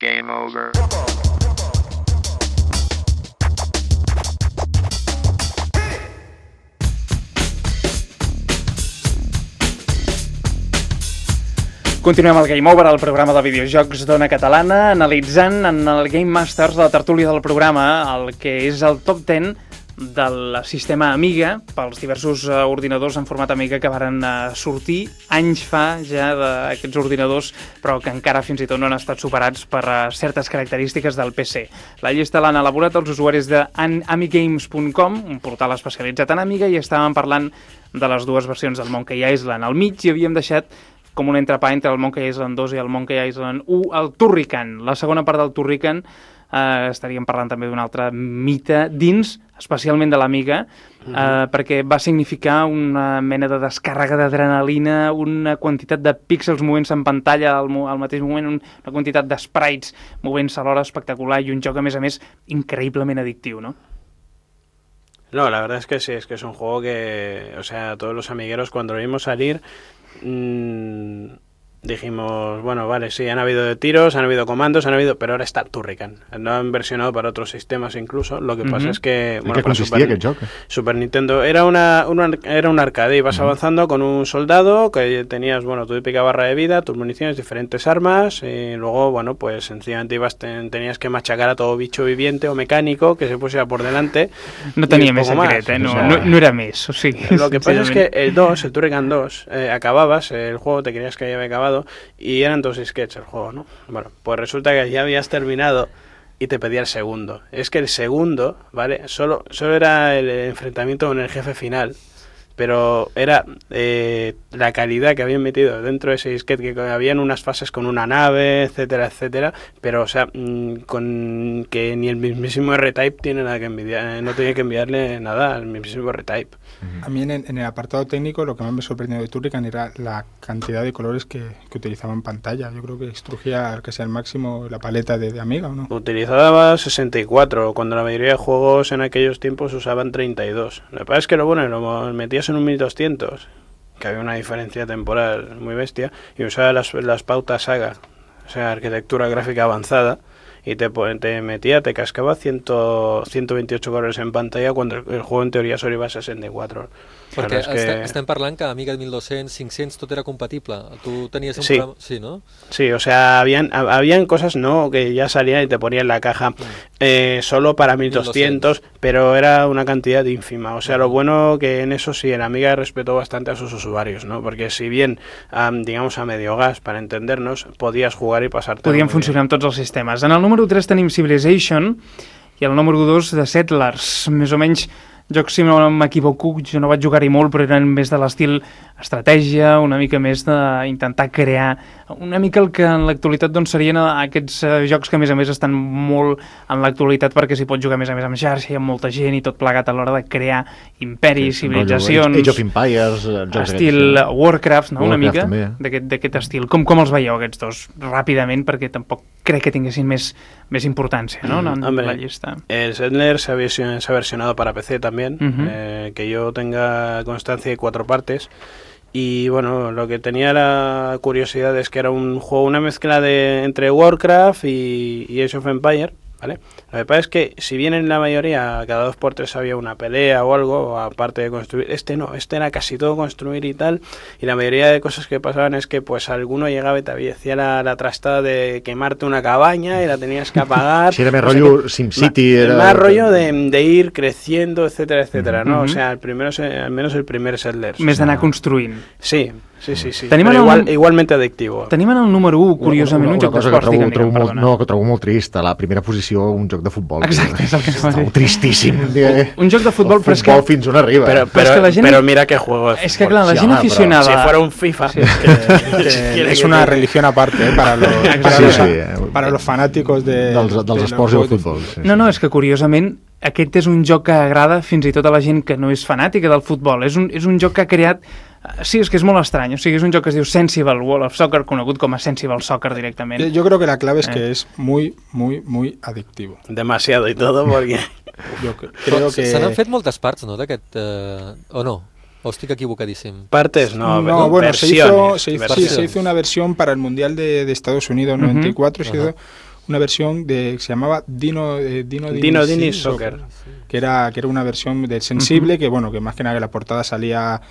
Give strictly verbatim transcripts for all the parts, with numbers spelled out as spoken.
Game over. Continuem el Game Over, el programa de videojocs d'Ona Catalana, analitzant en el Game Masters, la tertúlia del programa, el que és el top deu del sistema Amiga, pels diversos uh, ordinadors en format Amiga que varen uh, sortir anys fa ja d'aquests ordinadors, però que encara fins i tot no han estat superats per uh, certes característiques del P C. La llista l'han elaborat els usuaris de amigames punt com, un portal especialitzat en Amiga, i estàvem parlant de les dues versions del Monkey Island. Al mig hi havíem deixat com un entrepà entre el Monkey Island dos i el Monkey Island u, el Turrican. La segona part del Turrican eh, estaríem parlant també d'un altre mite dins, especialment de l'Amiga, eh, uh-huh. perquè va significar una mena de descàrrega d'adrenalina, una quantitat de píxels movent-se en pantalla al, al mateix moment, una quantitat de sprites movent-se alhora espectacular i un joc, a més a més, increïblement addictiu, ¿no? No, la verdad es que sí, es que es un juego que, o sea, todos los amigueros cuando lo vimos salir, mmm, dijimos, bueno, vale, sí, han habido tiros, han habido comandos, han habido, pero ahora está Turrican. No han versionado para otros sistemas incluso. Lo que uh-huh. pasa es que, bueno, para Super, Super Nintendo era una, una era un arcade, ibas uh-huh. avanzando con un soldado que tenías, bueno, tu típica barra de vida, tus municiones, diferentes armas, y luego, bueno, pues sencillamente ibas ten, tenías que machacar a todo bicho viviente o mecánico que se pusiera por delante. No tenía més secret, eh? no, o sea, no, no era més. O sigui, lo que pasa es que el dos, el Turrican dos, eh, acababas, el juego te creías que ya había acabado, y eran dos sketches el juego, ¿no? Bueno, pues resulta que ya habías terminado y te pedía el segundo. Es que el segundo, ¿vale? Solo, solo era el enfrentamiento con el jefe final, pero era eh, la calidad que habían metido dentro de ese disquete, que habían unas fases con una nave, etcétera, etcétera, pero o sea, mmm, con que ni el mismísimo R-Type tiene nada que envidiar, no tenía que enviarle nada al mismísimo R-Type. A mí en, en el apartado técnico lo que más me sorprendió de Turrican era la cantidad de colores que, que utilizaba en pantalla. Yo creo que extrujía casi al máximo la paleta de, de Amiga, ¿o no? Utilizaba sesenta y cuatro, cuando la mayoría de juegos en aquellos tiempos usaban treinta y dos. Lo que pasa es que lo bueno, lo metías en un mil doscientos, que había una diferencia temporal muy bestia, y usaba las, las pautas Saga, o sea, arquitectura gráfica avanzada, y te, te metía, te cascaba ciento veintiocho colores en pantalla cuando el, el juego en teoría solo iba a sesenta y cuatro. Perquè es que... estem parlant que Amiga mil dos-cents, cinc-cents, tot era compatible. Tu tenies un sí. programa... Sí, ¿no? Sí, o sea, habían, habían cosas, ¿no?, que ya salían y te ponían en la caja eh, solo para mil doscientos, pero era una cantidad ínfima. O sea, lo bueno que en eso sí, en Amiga respetó bastante a sus usuarios, ¿no? Porque si bien, um, digamos, a medio gas, para entendernos, podías jugar y pasarte. Podien funcionar amb tots els sistemes. En el número tres tenim Civilization i el número dos de Settlers. Més o menys jocs, si no m'equivoco, jo no vaig jugar-hi molt, però eren més de l'estil estratègia, una mica més d'intentar crear, una mica el que en l'actualitat doncs, serien aquests uh, jocs que a més a més estan molt en l'actualitat perquè s'hi pot jugar a més a més amb xarxa i amb molta gent i tot plegat a l'hora de crear imperis, sí, civilitzacions, Age of Empires, estil aquests, Warcraft, no? Warcraft, una mica d'aquest estil. Com, com els veieu aquests dos? Ràpidament, perquè tampoc crec que tinguessin més, més importància, ¿no? En, en Hombre, la llista. El Settler se ha, version, se ha versionado para P C también, uh-huh. eh, que yo tenga constancia de cuatro partes. Y bueno, lo que tenía la curiosidad es que era un juego, una mezcla de entre Warcraft y, y Age of Empires, ¿vale? Lo que pasa es que si bien en la mayoría cada dos por tres había una pelea o algo, aparte de construir, este no, este era casi todo construir y tal, y la mayoría de cosas que pasaban es que pues alguno llegaba y te hacía la, la trastada de quemarte una cabaña y la tenías que apagar. Si era más rollo SimCity, era... Más rollo de, de ir creciendo, etcétera, etcétera, ¿no? Uh-huh. O sea, el primero, al menos el primer Settlers. Més d'anar construint. Sí, sí, sí, sí. Tenim Però igual, un... igualmente adictivo. Tenim en el número u, curiosament, una, una, un joc d'esports, que trobo, trobo molt, no, que trobo molt trist, a la primera posició un joc de futbol. Exacte, és el que es va dir. Tristíssim. Un joc de futbol, però és que... Futbol fins on arriba. Però, però, però, gent... però mira que juego de És que clar, la gent sí, aficionada... Però, si fuera un FIFA... Sí. que, que es una religión aparte, ¿eh? Para los, para sí, los, sí. para los fanáticos de... Dels, dels de esports i del futbol. Sí, no, no, és que curiosament aquest és un joc que agrada fins i tot a la gent que no és fanàtica del futbol. És un, és un joc que ha creat... Sí, és que és molt estrany. O sigui, és un joc que es diu Sensible World of Soccer, conegut com a Sensible Soccer directament. Yo creo que la clave es que eh. es muy, muy, muy adictivo. Demasiado y todo, porque... Yo creo que... Se n'han fet moltes parts, no, d'aquest... Eh... O no? ¿O estoy equivocadísimo? Partes, no, no, no bueno, versiones, se hizo, se, hizo, sí, se hizo una versión para el Mundial de, de Estados Unidos noventa y cuatro, uh-huh. se hizo una versión de, que se llamaba Dino eh, Dino Dini, Dino Dini sí, Soccer, que era que era una versión del sensible, uh-huh. que bueno, que más que nada que la portada salía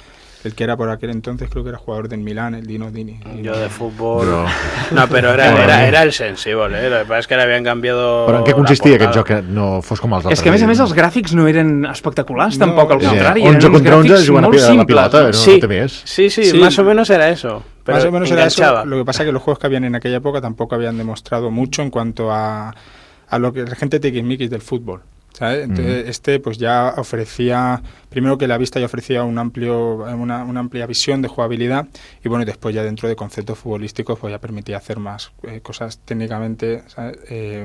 el que era por aquel entonces, creo que era jugador del Milán, el Dino Dini. Yo de fútbol... No, no però era, era, era el sensible, eh? Lo que pasa es que l'havien canviado... Però en què consistia aquest joc que no fos com els altres? És que a més a més els gràfics no eren espectaculars, no, tampoc, al contrari, sí. eren uns gràfics molt simples. Pilota, no, sí, no més. Sí, sí, sí, más o menos era eso. Pero más o menos enganchaba. Era eso. Lo que pasa es que los juegos que habían en aquella época tampoco habían demostrado mucho en cuanto a, a lo que la gente tiquismiquis del fútbol, ¿sabes? Entonces, mm. este pues ya ofrecía, primero que la vista ya ofrecía un amplio, una, una amplia visión de jugabilidad, y bueno, y después ya dentro de conceptos futbolísticos pues ya permitía hacer más eh, cosas técnicamente, ¿sabes? Eh,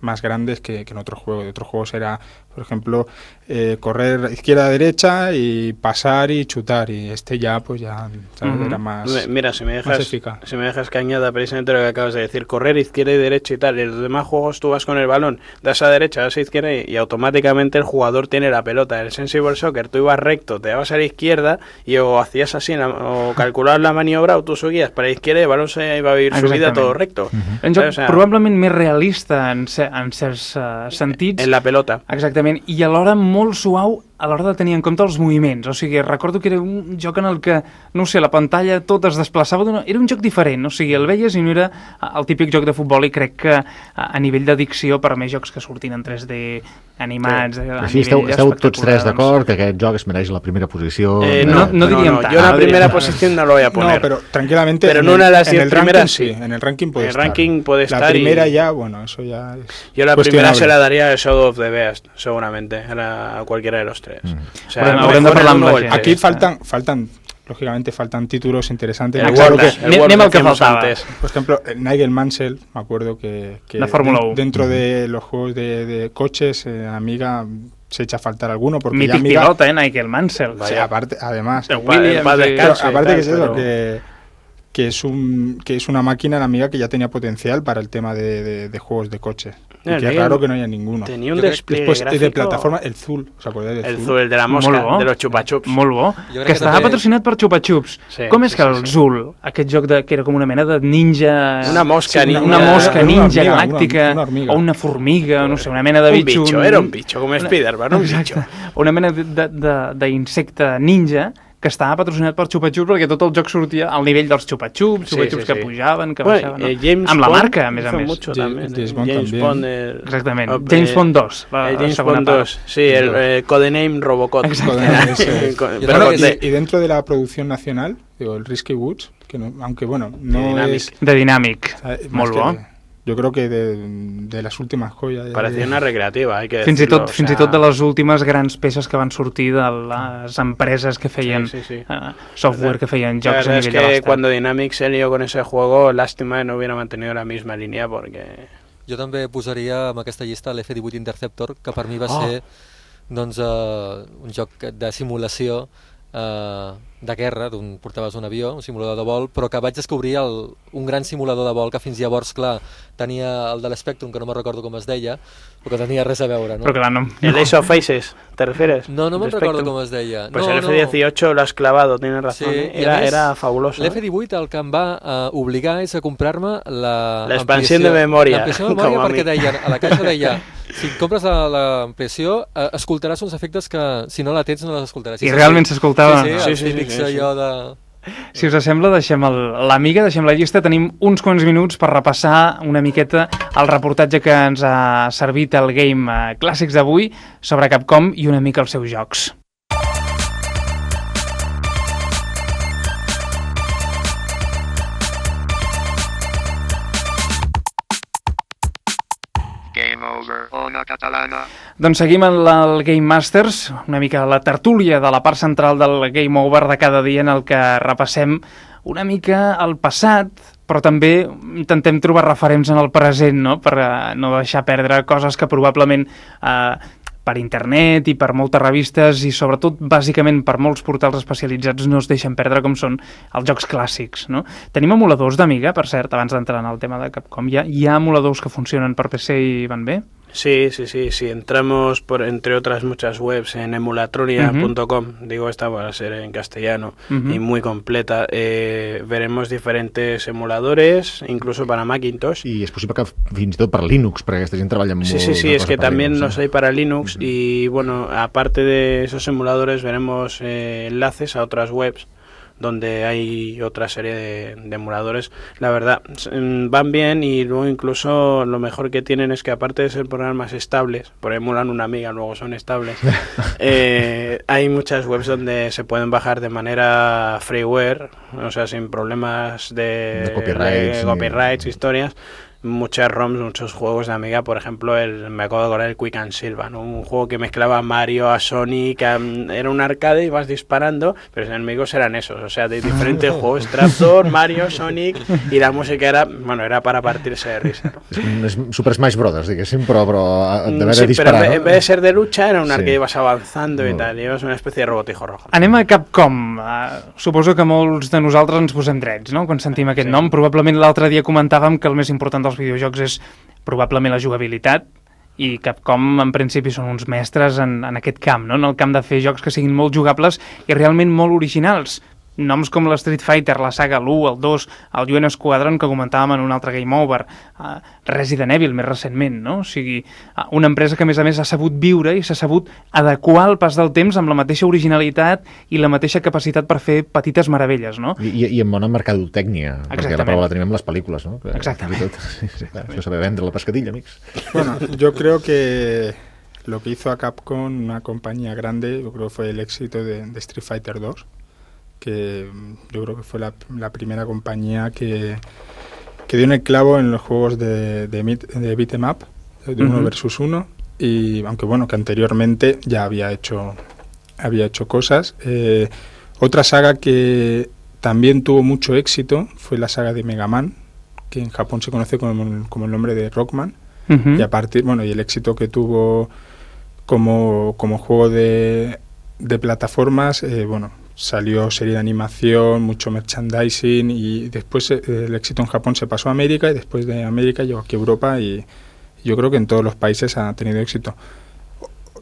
más grandes que, que en otros juegos. De otros juegos era, por ejemplo, eh, correr izquierda a derecha y pasar y chutar, y este ya pues ya, ¿sabes? Uh-huh. Era más, Mira, si me dejas, más eficaz. Si me dejas que añada precisamente lo que acabas de decir, correr izquierda y derecha y tal, y en los demás juegos tú vas con el balón, das a derecha, das a izquierda y, y automáticamente el jugador tiene la pelota. El Sensible Soccer, tú ibas recto, te dabas a la izquierda y o hacías así, la, o calculabas la maniobra o tú seguías para la izquierda y el balón se iba a ir su vida todo recto. Uh-huh. Un joc o sea, probablement més realista en, en certs uh, sentits. En la pelota. Exactament, i alhora molt suau a l'hora de tenir en compte els moviments. O sigui, recordo que era un joc en el que, no sé, la pantalla tot es desplaçava d'una... Era un joc diferent, o sigui, el veies i no era el típic joc de futbol, i crec que a nivell d'addicció, per a més jocs que surtin en tres D animats, sí. a sí, nivell esteu, esteu tots tres d'acord que aquest joc es mereix la primera posició? Eh, no, no, no diríem no, no. tant. Yo la primera posición no lo voy a poner. No, pero tranquilamente pero en, en una de las en el primeras ranking, sí. En el ranking puede el estar. ranking puede estar. La primera y... ya, bueno, eso ya es Yo la primera se la daría a Shadow of the Beast, seguramente, a cualquiera de los tres. Mm. O sea, bueno, haurem de parlar amb la gent. Aquí faltan, faltan, lógicamente faltan títulos interesantes. Igual que, anem al que faltava. Antes. Por ejemplo, Nigel Mansell, me acuerdo que, que la Fórmula uno. Dentro de los juegos de, de coches, eh, Amiga se echa a faltar alguno porque mític ya Amiga, pilota, eh, Nigel Mansell. Sí, aparte, además, Williams, pa, de, pero, aparte que es pero... eso, que que es un que es una máquina, la Amiga, que ya tenía potencial para el tema de, de, de juegos de coche. Y no, que es raro que no haya ninguno. Tenía un despliegue Después gráfico... de plataforma, el Zul, ¿os acordáis del el Zul? Zul, el de la mosca, de los xupa-xups. Molt bo, que, que estava també... patrocinat per xupa-xups. Sí, Com és sí, que el sí, Zul, aquest joc de, que era com una mena de ninja... Una mosca sí, ninja. Una, una mosca ninja una hormiga, galàctica, una, una o una formiga, no sé, una mena de bitxo... Un bitxo, era un bitxo, com Spider-Man, un bitxo. Una mena d'insecte ninja que estava patrocinat per xupa-xups, perquè tot el joc sortia al nivell dels xupa-xups, xupa-xups sí, sí, sí. que pujaven, que bueno, baixaven, no? eh, James amb la Bond marca, a més a més. Mucho, James, James Bond, James Bond el... Exactament, oh, James eh, Bond dos, la, el James la segona Bond part. dos, sí, el eh, codename Robocop. Exactamente. Pero, y, y dentro de la producción nacional, digo, el Risky Woods, que no, aunque bueno, no de Dynamic. es... De Dynamic, molt bo. De, yo creo que de, de las últimas joyas... Parecía de... una recreativa, hay que fins decirlo. I tot, o sea... fins i tot de les últimes grans peces que van sortir de les empreses que feien sí, sí, sí. Uh, software, que feien La jocs a verdad nivell es de que l'estat. cuando Dynamic se lió con ese juego, lástima que no hubiera mantenido la misma línea porque... Jo també posaria en aquesta llista l'F divuit Interceptor, que per mi va Oh. ser doncs, uh, un joc de simulació uh, de guerra, d'un portaves un avió, un simulador de vol, però que vaig descobrir el, un gran simulador de vol que fins llavors, clar, tenia el de l'Spectrum, que no me recordo com es deia, però que tenia res a veure, no? Però clar, no... El Ace of Faces, ¿te refieres? No, no me'n Respecto. recordo com es deia. Pues no, el F dieciocho no. Lo has clavado, tienes razón. Sí, ¿eh? Era, més, era fabuloso. L'F divuit el que em va uh, obligar és a comprar-me la... L'expansió de memòria. L'ampliació de memòria perquè deia, a la caixa deia, si compres l'ampliació, uh, escoltaràs uns efectes que si no la tens no les escoltaràs. I realment s'escoltava. Sí, sí, sí, els sí, típics sí, sí, sí. allò de... Si us sembla, deixem l'Amiga, deixem la llista. Tenim uns quants minuts per repassar una miqueta el reportatge que ens ha servit el Game Clàssics d'avui sobre Capcom i una mica els seus jocs. Game Over, Ona Catalana. Doncs seguim en la, el Game Masters, una mica la tertúlia de la part central del Game Over de cada dia, en el que repassem una mica el passat, però també intentem trobar referents en el present, no? Per uh, no deixar perdre coses que probablement uh, per internet i per moltes revistes i sobretot bàsicament per molts portals especialitzats no es deixen perdre, com són els jocs clàssics, no? Tenim emuladors d'Amiga, per cert, abans d'entrar en el tema de Capcom. Hi ha, hi ha emuladors que funcionen per P C i van bé? Sí, sí, sí, sí. Entramos, por entre otras muchas webs, en emulatronia punto com, uh-huh. digo, esta va a ser en castellano, uh-huh. y muy completa. Eh, veremos diferentes emuladores, incluso para Macintosh. I és possible que fins i tot per Linux, perquè aquesta gent treballa molt... Sí, sí, sí, es que también Linux, los hay para Linux, uh-huh. y bueno, aparte de esos emuladores, veremos eh, enlaces a otras webs donde hay otra serie de, de emuladores. La verdad, van bien, y luego incluso lo mejor que tienen es que aparte de ser programas estables, por emulan una amiga, luego son estables, eh, hay muchas webs donde se pueden bajar de manera freeware, o sea, sin problemas de, de copyrights, de copyrights historias. Muchas ROMs, muchos juegos de Amiga, por ejemplo, el, me acabo de acordar el Quick and Silva, ¿no? Un juego que mezclaba a Mario, a Sonic, a, era un arcade y vas disparando, pero los enemigos eran esos, o sea, de diferentes juegos, Trapdoor, Mario, Sonic, y la música era, bueno, era para partirse de risa, ¿no? És, és Super Smash Bros, diguéssim, però, però de haver sí, de disparar, pero en, ¿no? en vez de ser de lucha, era un arcade, sí. ibas avanzando no. i tal, i ibas una espècie de robotijo rojo. Anem a Capcom. Uh, suposo que molts de nosaltres ens posem drets, no?, quan sentim aquest sí. nom. Probablement l'altre dia comentàvem que el més important dels videojocs és probablement la jugabilitat, i Capcom en principi són uns mestres en, en aquest camp, no?, en el camp de fer jocs que siguin molt jugables i realment molt originals. Noms com la Street Fighter, la saga, l'u, el dos, el U N Squadron, que comentàvem en un altre Game Over, uh, Resident Evil més recentment, no? O sigui, uh, una empresa que a més a més ha sabut viure i s'ha sabut adequar al pas del temps amb la mateixa originalitat i la mateixa capacitat per fer petites meravelles, no? I, i amb bona mercadotècnia, perquè la prova la tenim amb les pel·lícules, no? Que, exactament. Tot, sí, sí, clar, això saber vendre la pescadilla, amics. Bueno, yo creo que lo que hizo a Capcom, una compañía grande, yo creo que fue el éxito de, de Street Fighter dos, que yo creo que fue la, la primera compañía que, que dio en el clavo en los juegos de, de, de beat 'em up, de uno uh-huh. versus uno, y aunque bueno, que anteriormente ya había hecho, había hecho cosas. Eh, otra saga que también tuvo mucho éxito fue la saga de Mega Man, que en Japón se conoce como, como el nombre de Rockman, uh-huh. y a partir, bueno, y el éxito que tuvo como, como juego de, de plataformas, eh, bueno, salió serie de animación, mucho merchandising, y después eh, el éxito en Japón se pasó a América, y después de América llegó aquí a Europa, y yo creo que en todos los países ha tenido éxito.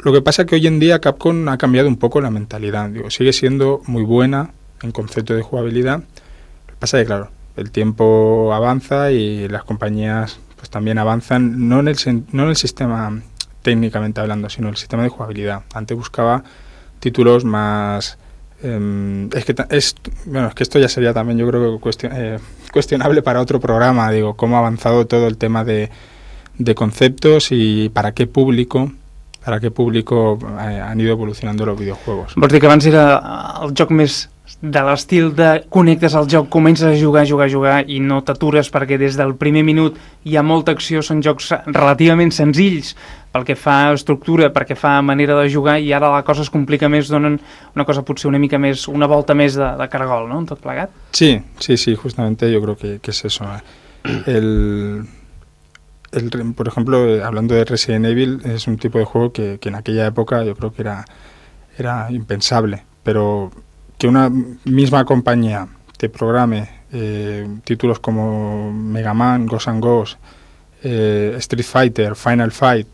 Lo que pasa es que hoy en día Capcom ha cambiado un poco la mentalidad. Digo, sigue siendo muy buena en concepto de jugabilidad. Lo que pasa es que, claro, el tiempo avanza y las compañías pues también avanzan, no en el, no en el sistema técnicamente hablando, sino en el sistema de jugabilidad. Antes buscaba títulos más... Eh, es que es bueno es que esto ya sería también, yo creo que cuestion, eh, cuestionable para otro programa, digo, cómo ha avanzado todo el tema de, de conceptos y para qué público para qué público eh, han ido evolucionando los videojuegos. Vols dir que abans era el joc més de l'estil de connectes al joc, comences a jugar, jugar, jugar i no t'atures, perquè des del primer minut hi ha molta acció, són jocs relativament senzills pel que fa a estructura, perquè fa manera de jugar, i ara la cosa es complica més, donen una cosa potser una mica més, una volta més de, de cargol, ¿no?, en tot plegat. Sí, sí, sí, justamente yo creo que, que es eso. El, el, por ejemplo, hablando de Resident Evil, es un tipo de juego que, que en aquella época yo creo que era, era impensable, pero que una misma compañía te programe eh, títulos como Mega Man, Ghosts and Ghosts, eh, Street Fighter, Final Fight,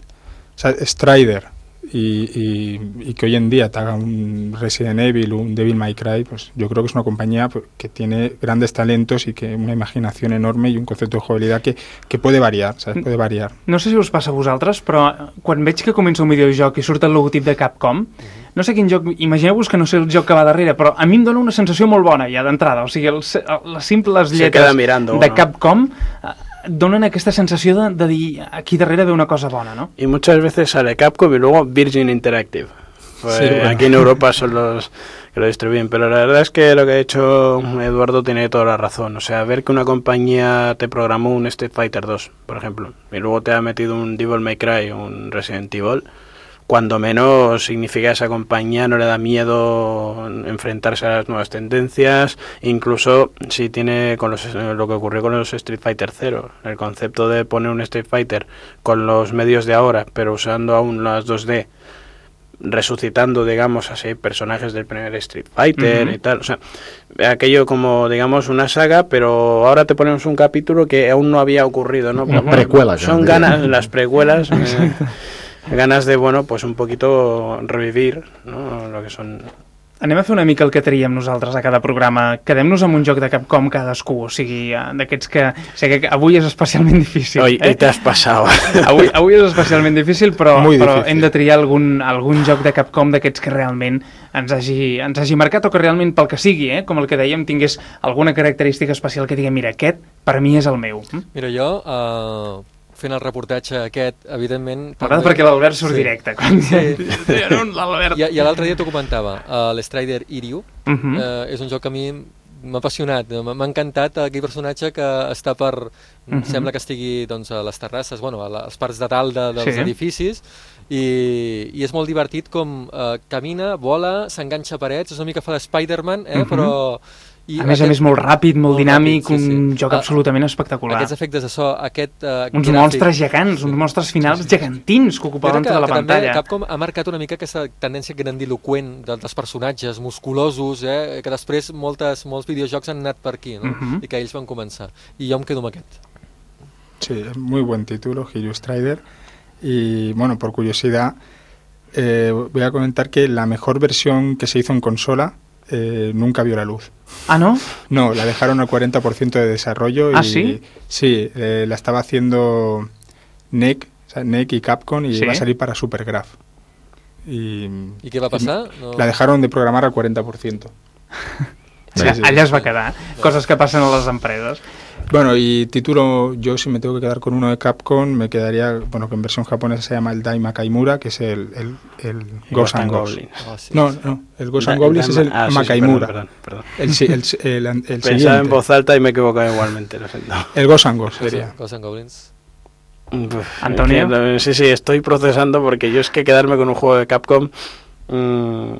Strider, y, y, y que hoy en día te haga un Resident Evil, un Devil May Cry, pues yo creo que es una compañía que tiene grandes talentos y que una imaginación enorme y un concepto de jugabilidad que, que puede variar, ¿sabes? Puede variar. No sé si us passa a vosaltres, però quan veig que comença un videojoc i surt el logotip de Capcom, no sé quin joc, imagineu-vos que no sé el joc que va darrere, però a mi em dona una sensació molt bona ja d'entrada, o sigui, el, les simples lletres mirando, de ¿no? Capcom donen aquesta sensació de, de dir aquí darrere ve una cosa bona, ¿no? Y muchas veces sale Capcom y luego Virgin Interactive. Pues sí, bueno. Aquí en Europa son los que lo distribuyen, pero la verdad es que lo que ha hecho Eduardo tiene toda la razón. O sea, ver que una compañía te programó un Street Fighter dos, por ejemplo, y luego te ha metido un Devil May Cry, un Resident Evil, cuando menos significa que a esa compañía no le da miedo enfrentarse a las nuevas tendencias, incluso si tiene con los, lo que ocurrió con los Street Fighter cero, el concepto de poner un Street Fighter con los medios de ahora, pero usando aún las dos D, resucitando, digamos así, personajes del primer Street Fighter Uh-huh. y tal. O sea, aquello como, digamos, una saga, pero ahora te ponemos un capítulo que aún no había ocurrido, ¿no? Una Pero, precuela, ya, son diría. ganas, las precuelas, eh, ganas de, bueno, pues un poquito revivir, ¿no? Lo que son... Anem a fer una mica el que traiem nosaltres a cada programa. Quedem-nos amb un joc de Capcom cadascú, o sigui, eh, d'aquests que... O sigui, que avui és especialment difícil. Hoy, eh? hoy te has pasado. Avui, avui és especialment difícil, però, Muy però difícil. hem de triar algun, algun joc de Capcom d'aquests que realment ens hagi, ens hagi marcat, o que realment, pel que sigui, eh, com el que dèiem, tingués alguna característica especial que digui, mira, aquest per mi és el meu. Hm? Mira, jo, uh, fent el reportatge aquest, evidentment... M'agrada perquè l'Albert surt Sí. directe. Quan... Sí. no, l'Albert... I, i l'altre dia t'ho comentava, uh, l'Strider Iryu, Uh -huh. uh, és un joc que a mi m'ha apassionat, m'ha m'ha encantat aquell personatge que està per... Uh Mhm. -huh. Sembla que estigui doncs, a les terrasses, bueno, a les parts de dalt de, dels Sí. edificis, i, i és molt divertit com uh, camina, vola, s'enganxa a parets, és una mica fa d'Spider-Man, eh, Mhm. però... I A més a més, molt ràpid, molt, molt dinàmic, ràpid, sí, sí. un joc Ah, absolutament espectacular. Aquests efectes de so, aquest... Uh, Uns gràfic- monstres gegants, uns monstres finals gegantins que Jo ocupaven crec que, tota la que també pantalla. Capcom ha marcat una mica aquesta tendència grandiloquent de- dels personatges musculosos, eh, que després moltes, molts videojocs han anat per aquí, no? Mhm. I que ells van començar. I jo em quedo amb aquest. Sí, es muy buen título, Hiryu Strider. Y bueno, por curiosidad, eh, voy a comentar que la mejor versión que se hizo en consola eh, nunca vio la luz. Ah, no? No, la dejaron al cuarenta por ciento de desarrollo. ¿Ah, y, sí? Sí, eh, la estaba haciendo N E C, o sea, N E C y Capcom, y ¿Sí? iba a salir para Supergraph. Y, I què va passar? No... La dejaron de programar al cuarenta por ciento. Sí, Sí, sí. allà es va quedar. Coses que passen a les empreses. Bueno, y título, yo si me tengo que quedar con uno de Capcom, me quedaría, bueno, que en versión japonesa se llama el Daima Kaimura, que es el, el, el Ghost and Ghosts. Oh, sí. No, no, el Ghost and Da- Goblins es el ah, sí, sí, Makaimura. perdón, perdón, perdón. El, si- el, el, el, el Pensaba siguiente. en voz alta y me he equivocado igualmente, lo siento. El Ghost and Ghosts Sí, sí, sería. Ghosts and Goblins. Uf, Antonio. que- Sí, sí, estoy procesando porque yo es que quedarme con un juego de Capcom, mmm,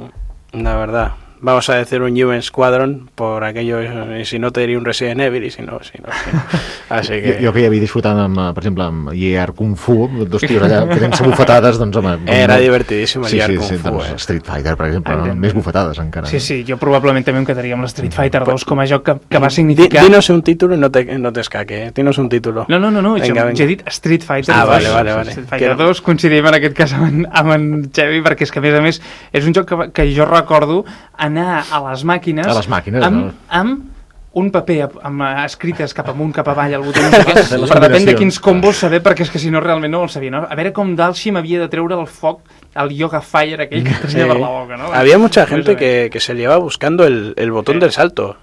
la verdad, vamos a decir un U N Squadron por aquello, y si no te diría un Resident Evil, y si no, si no, si no. Así Jo, que... jo que hi havia disfrutat, amb, eh, per exemple, amb I E R Kung Fu, dos tios allà fent-se bufetades, doncs home... Era no- divertidíssim el sí, I E R sí, Kung sí, Fu, doncs, eh? Street Fighter, per exemple, no? Evidentment. Més bufetades encara. Sí, sí, jo probablement també em quedaria amb l'Street Fighter dos com a joc que, que va Di- significar... Dinos un título y no te, no te escaque, eh? Dinos un título. No, no, no, no Venga, jo, venga. jo he dit Street Fighter Ah, dos. vale, vale, vale. Street Fighter Que no- dos, coincidim en aquest cas amb en, amb en Xevi, perquè és que a més a més és un joc que, que jo recordo anar a les màquines, A les màquines, amb, no? amb un paper amb eh, escrites cap amunt, cap avall, al botó, no sé què, Les per depèn de combinacions. quins combos saber, perquè és que si no realment no el sabia, no? A veure com Dalshim havia de treure el foc, el Yoga Fire aquell que tenia per la boca, no? Había mucha Pues, gente eh, que, que se llevaba buscando el, el botón Sí. del salto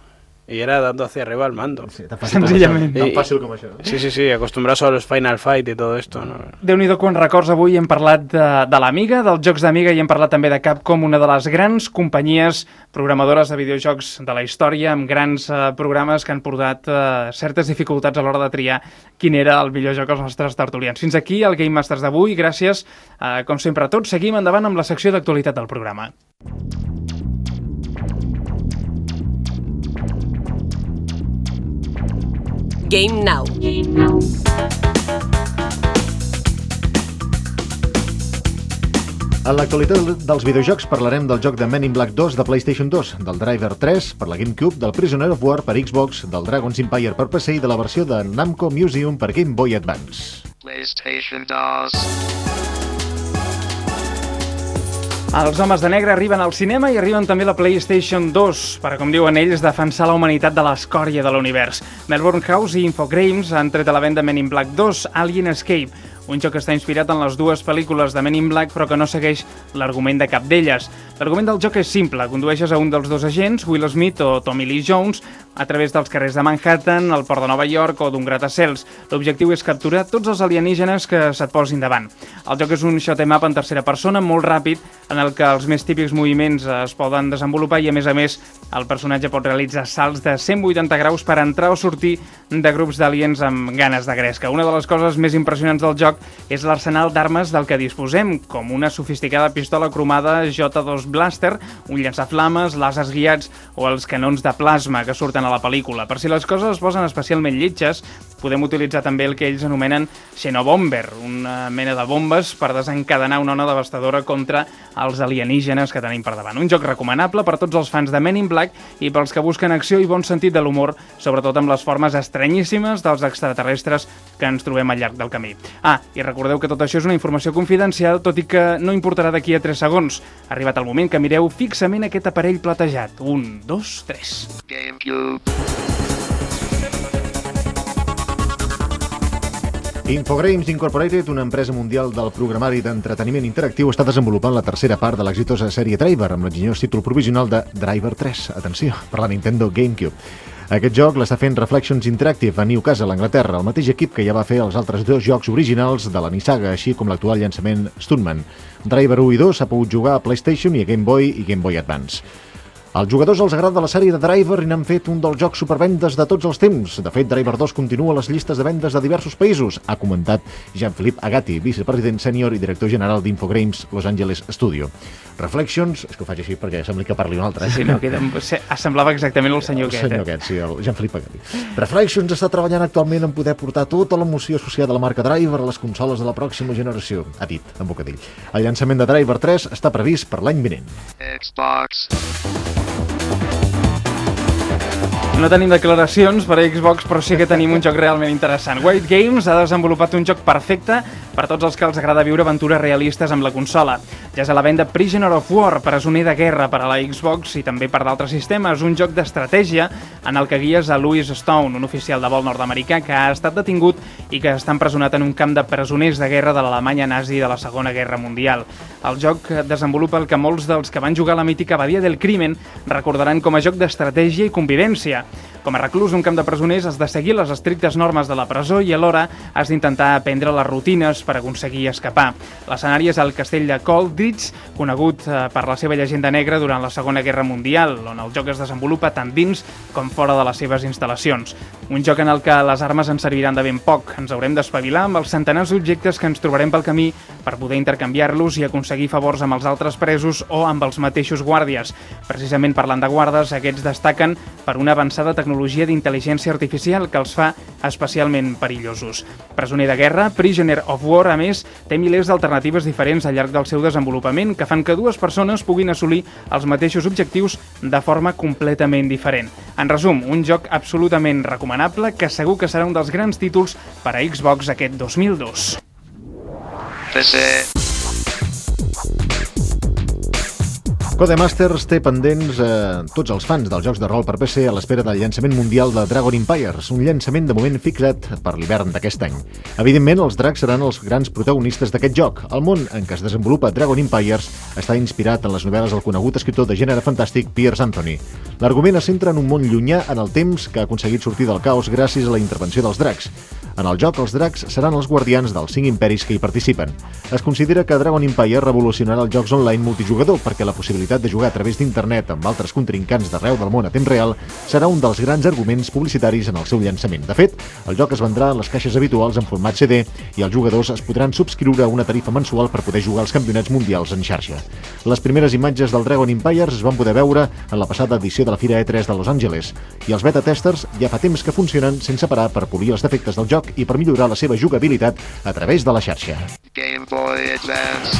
y era dando hacia arriba al mando. Sí, tan fàcil com Senzillament. això. Tan I- fàcil com això. Sí, sí, sí, acostumbrados a los Final Fight y todo esto, ¿no? Déu-n'hi-do quants records. Avui hem parlat de, de l'Amiga, dels jocs d'Amiga, i hem parlat també de Capcom, una de les grans companyies programadores de videojocs de la història, amb grans eh, programes que han portat eh, certes dificultats a l'hora de triar quin era el millor joc als nostres tertulians. Fins aquí el Game Masters d'avui. Gràcies, eh, com sempre, a tots. Seguim endavant amb la secció d'actualitat del programa. Game Now. En l'actualitat dels videojocs parlarem del joc de Men in Black dos de PlayStation dos, del Driver tres per la GameCube, del Prisoner of War per Xbox, del Dragon's Empire per P C i de la versió de Namco Museum per Game Boy Advance. PlayStation dos. Els homes de negre arriben al cinema i arriben també a la PlayStation dos per, com diuen ells, defensar la humanitat de l'escòria de l'univers. Melbourne House i Infogrames han tret a la venda Men in Black dos, Alien Escape, un joc que està inspirat en les dues pel·lícules de Men in Black però que no segueix l'argument de cap d'elles. L'argument del joc és simple, condueixes a un dels dos agents, Will Smith o Tommy Lee Jones, a través dels carrers de Manhattan, el port de Nova York o d'un gratacels. L'objectiu és capturar tots els alienígenes que se't posin davant. El joc és un shoot 'em up en tercera persona molt ràpid, en el que els més típics moviments es poden desenvolupar i, a més a més, el personatge pot realitzar salts de cent vuitanta graus per entrar o sortir de grups d'aliens amb ganes de gresca. Una de les coses més impressionants del joc joc és l'arsenal d'armes del que disposem, com una sofisticada pistola cromada J dos Blaster, un llançaflames, làsers guiats o els canons de plasma que surten a la pel·lícula. Per si les coses es posen especialment lletges, podem utilitzar també el que ells anomenen Xenobomber, una mena de bombes per desencadenar una ona devastadora contra els alienígenes que tenim per davant. Un joc recomanable per tots els fans de Men in Black i pels que busquen acció i bon sentit de l'humor, sobretot amb les formes estranyíssimes dels extraterrestres que ens trobem al llarg del camí. Ah, i recordeu que tot això és una informació confidencial, tot i que no importarà d'aquí a tres segons. Ha arribat el moment que mireu fixament aquest aparell platejat. Un, dos, tres. GameCube. Infogrames Incorporated, una empresa mundial del programari d'entreteniment interactiu, està desenvolupant la tercera part de l'exitosa sèrie Driver, amb l'enginyós títol provisional de Driver tres, atenció, per la Nintendo GameCube. Aquest joc l'està fent Reflections Interactive a Newcastle, Anglaterra, el mateix equip que ja va fer els altres dos jocs originals de la Nissaga, així com l'actual llançament Stuntman. Driver u i dos s'ha pogut jugar a PlayStation i a Game Boy i Game Boy Advance. Als jugadors els agrada la sèrie de Driver i n'han fet un dels jocs supervendes de tots els temps. De fet, Driver dos continua a les llistes de vendes de diversos països, ha comentat Jean-Philippe Agati, vicepresident sènior i director general d'Infogrames Los Angeles Studio. Reflections, és que ho faig així perquè sembla que parli un altre. Eh? Sí, no, queda, semblava exactament el senyor aquest. El senyor aquest, sí, el Jean-Philippe Agati. Reflections està treballant actualment en poder portar tota l'emoció associada a la marca Driver a les consoles de la pròxima generació, ha dit, en bocadell. El llançament de Driver tres està previst per l'any vinent. Xbox. No tenim declaracions per a Xbox, però sí que tenim un joc realment interessant. White Games ha desenvolupat un joc perfecte per a tots els que els agrada viure aventures realistes amb la consola. Ja és a la venda Prisoner of War, presoner de guerra per a la Xbox i també per d'altres sistemes, un joc d'estratègia en el que guies a Louis Stone, un oficial de vol nord-americà que ha estat detingut i que està empresonat en un camp de presoners de guerra de l'Alemanya nazi de la Segona Guerra Mundial. El joc desenvolupa el que molts dels que van jugar a la mítica Badia del Crimen recordaran com a joc d'estratègia i convivència. Com a reclús d'un camp de presoners has de seguir les estrictes normes de la presó i alhora has d'intentar aprendre les rutines per aconseguir escapar. L'escenari és el castell de Coldridge, conegut per la seva llegenda negra durant la Segona Guerra Mundial, on el joc es desenvolupa tant dins com fora de les seves instal·lacions. Un joc en el que les armes ens serviran de ben poc. Ens haurem d'espavilar amb els centenars d'objectes que ens trobarem pel camí per poder intercanviar-los i aconseguir favors amb els altres presos o amb els mateixos guàrdies. Precisament parlant de guardes, aquests destaquen per una avançada tecnologia d'intel·ligència artificial que els fa especialment perillosos. Presoner de guerra, Prisoner of War, a més, té milers d'alternatives diferents al llarg del seu desenvolupament que fan que dues persones puguin assolir els mateixos objectius de forma completament diferent. En resum, un joc absolutament recomanable que segur que serà un dels grans títols per a Xbox aquest dos mil dos. P C. Codemasters té pendents eh, tots els fans dels jocs de rol per P C a l'espera del llançament mundial de Dragon Empires, un llançament de moment fixat per l'hivern d'aquest any. Evidentment, els dracs seran els grans protagonistes d'aquest joc. El món en què es desenvolupa Dragon Empires està inspirat en les novel·les del conegut escriptor de gènere fantàstic Piers Anthony. L'argument es centra en un món llunyà en el temps que ha aconseguit sortir del caos gràcies a la intervenció dels dracs. En el joc, els dracs seran els guardians dels cinc imperis que hi participen. Es considera que Dragon Empire revolucionarà els jocs online multijugador perquè la possibilitat de jugar a través d'internet amb altres contrincants d'arreu del món a temps real serà un dels grans arguments publicitaris en el seu llançament. De fet, el joc es vendrà en les caixes habituals en format C D i els jugadors es podran subscriure a una tarifa mensual per poder jugar als campionats mundials en xarxa. Les primeres imatges del Dragon Empires es van poder veure en la passada edició de la Fira E tres de Los Angeles i els beta testers ja fa temps que funcionen sense parar per polir els defectes del joc i per millorar la seva jugabilitat a través de la xarxa. Game Boy Advance.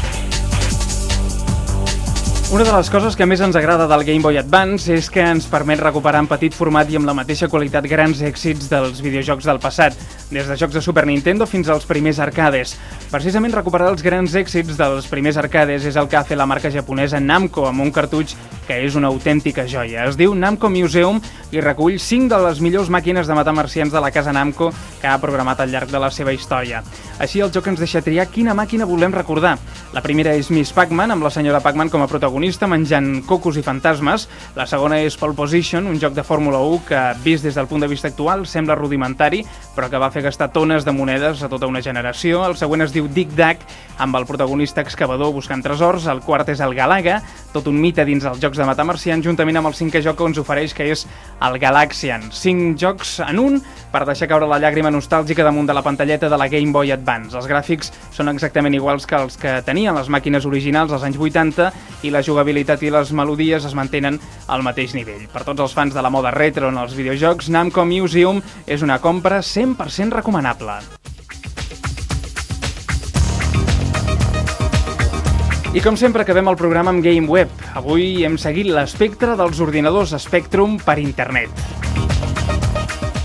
Una de les coses que més ens agrada del Game Boy Advance és que ens permet recuperar en petit format i amb la mateixa qualitat grans èxits dels videojocs del passat, des de jocs de Super Nintendo fins als primers arcades. Precisament recuperar els grans èxits dels primers arcades és el que ha fet la marca japonesa Namco amb un cartutx que és una autèntica joia. Es diu Namco Museum i recull cinc de les millors màquines de matar marcians de la casa Namco que ha programat al llarg de la seva història. Així el joc ens deixa triar quina màquina volem recordar. La primera és Miss Pac-Man, amb la senyora Pac-Man com a protagonista menjant cocos i fantasmes. La segona és Pole Position, un joc de Fórmula u que, vist des del punt de vista actual, sembla rudimentari, però que va fer gastar tones de monedes a tota una generació. El següent es diu Dig Dag, amb el protagonista excavador buscant tresors. El quart és el Galaga, tot un mite dins els jocs de matar marcians, juntament amb el cinquè joc que ens ofereix, que és el Galaxian. Cinc jocs en un per deixar caure la llàgrima nostàlgica damunt de la pantalleta de la Game Boy Advance. Els gràfics són exactament iguals que els que tenien les màquines originals als anys vuitanta i la jugabilitat i les melodies es mantenen al mateix nivell. Per tots els fans de la moda retro en els videojocs, Namco Museum és una compra cent per cent recomanable. I com sempre acabem el programa amb GameWeb. Avui hem seguit l'espectre dels ordinadors Spectrum per internet.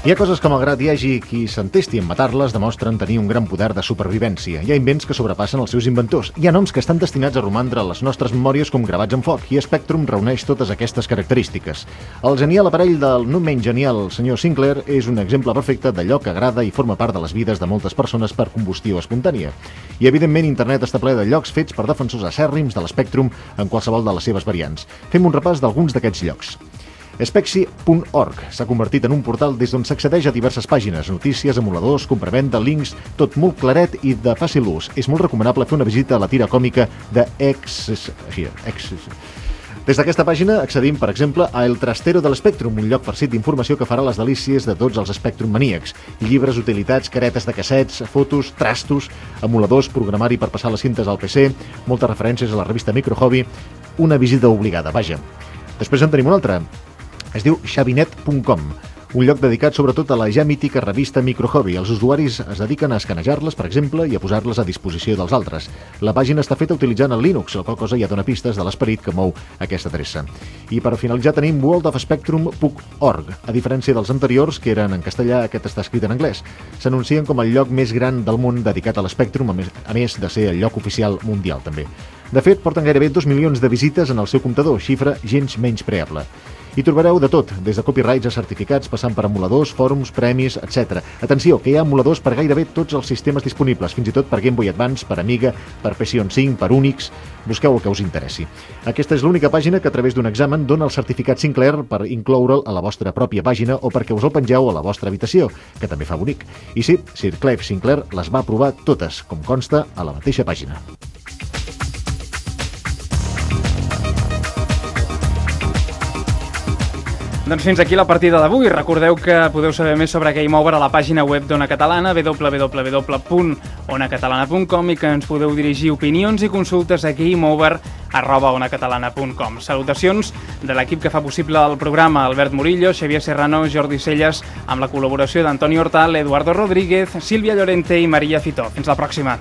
Hi ha coses que, malgrat hi hagi qui s'entesti en matar-les, demostren tenir un gran poder de supervivència. Hi ha invents que sobrepassen els seus inventors. Hi ha noms que estan destinats a romandre a les nostres memòries com gravats en foc, i Spectrum reuneix totes aquestes característiques. El genial aparell del no menys genial senyor Sinclair és un exemple perfecte d'allò que agrada i forma part de les vides de moltes persones per combustió espontània. I, evidentment, internet està ple de llocs fets per defensors acèrrims de l'Spectrum en qualsevol de les seves variants. Fem un repàs d'alguns d'aquests llocs. Spexy punt org s'ha convertit en un portal des d'on s'accedeix a diverses pàgines, notícies, emuladors, compravenda, links, tot molt claret i de fàcil ús. És molt recomanable fer una visita a la tira còmica de X... X... Des d'aquesta pàgina accedim, per exemple, a El Trastero de l'Spectrum, un lloc farcit d'informació que farà les delícies de tots els Spectrum maníacs. Llibres, utilitats, caretes de cassets, fotos, trastos, emuladors, programari per passar les cintes al P C, moltes referències a la revista Micro Hobby, una visita obligada, vaja. Després en tenim una altra. Es diu xavinet punt com, un lloc dedicat sobretot a la ja mítica revista Micro Hobby. Els usuaris es dediquen a escanejar-les, per exemple, i a posar-les a disposició dels altres. La pàgina està feta utilitzant el Linux, la qual cosa ja dona pistes de l'esperit que mou aquesta adreça. I per finalitzar tenim world of spectrum punt org. A diferència dels anteriors, que eren en castellà, aquest està escrit en anglès. S'anuncien com el lloc més gran del món dedicat a l'Spectrum, a més, a més de ser el lloc oficial mundial, també. De fet, porten gairebé dos milions de visites en el seu comptador, xifra gens menys preable. Hi trobareu de tot, des de copyrights a certificats, passant per emuladors, fòrums, premis, etcètera. Atenció, que hi ha emuladors per gairebé tots els sistemes disponibles, fins i tot per Game Boy Advance, per Amiga, per P C cinc, per Unix. Busqueu el que us interessi. Aquesta és l'única pàgina que a través d'un examen dona el certificat Sinclair per incloure'l a la vostra pròpia pàgina o perquè us el pengeu a la vostra habitació, que també fa bonic. I sí, Sir Clive Sinclair les va provar totes, com consta a la mateixa pàgina. Doncs fins aquí la partida d'avui. Recordeu que podeu saber més sobre Game Over a la pàgina web d'Ona Catalana, w w w punt ona catalana punt com, i que ens podeu dirigir opinions i consultes a gameover arroba onacatalana punt com. Salutacions de l'equip que fa possible el programa: Albert Murillo, Xavier Serrano, Jordi Celles, amb la col·laboració d'Antoni Hortal, Eduardo Rodríguez, Sílvia Llorente i Maria Fitó. Fins la pròxima.